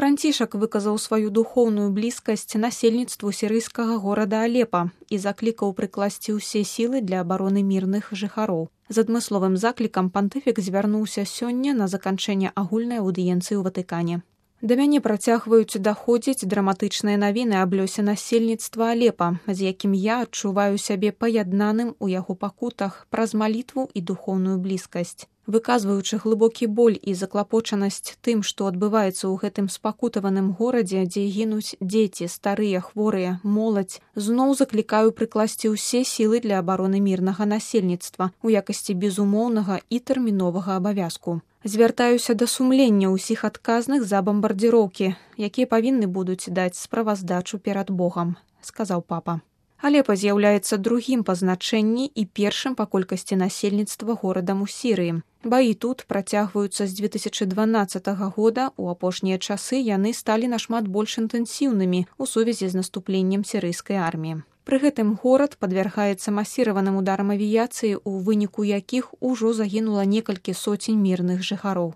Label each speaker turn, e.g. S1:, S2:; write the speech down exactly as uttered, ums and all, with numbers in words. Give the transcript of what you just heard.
S1: Францішак выказаў сваю духоўную блізкасць насельніцтву сірыйскага горада Алепа і заклікаў прыкласці ўсе сілы для абароны мірных жыхароў. З адмысловым заклікам пантыфік звярнуўся сёння на заканчэнне агульнай аўдыенцыі ў Ватыкане. Да мяне працягваюць даходзіць драматычныя навіны аб лёсе насельніцтва Алепа, з якім я адчуваю сябе паяднаным у яго пакутах праз малітву і духоўную блізкасць. Выказваючы глыбокі боль і заклапочанасць тым, што адбываецца ў гэтым спакутаваным горадзе, дзе гінуць дзеці, старыя, хворыя, моладзь, зноў заклікаю прыкласці ўсе сілы для абароны мірнага насельніцтва ў якасці безумоўнага і тэрміновага абавязку. Звяртаюся да сумлення ўсіх адказных за бамбардзіроўкі, якія павінны будуць даць справаздачу перад Богам, сказаў папа. Алепа з'яўляецца другім па значэнні і першым па колькасці насельніцтва горадам у Сірыі. Баі тут працягваюцца з дзве тысячы дванаццатага года, у апошнія часы яны сталі нашмат больш інтэнсіўнымі ў сувязі з наступленнем сірыйскай арміі. Пры гэтым горад падвяргаецца масіраваным ударам авіяцыі, у выніку якіх ужо загінула некалькі соцень мірных жыхароў.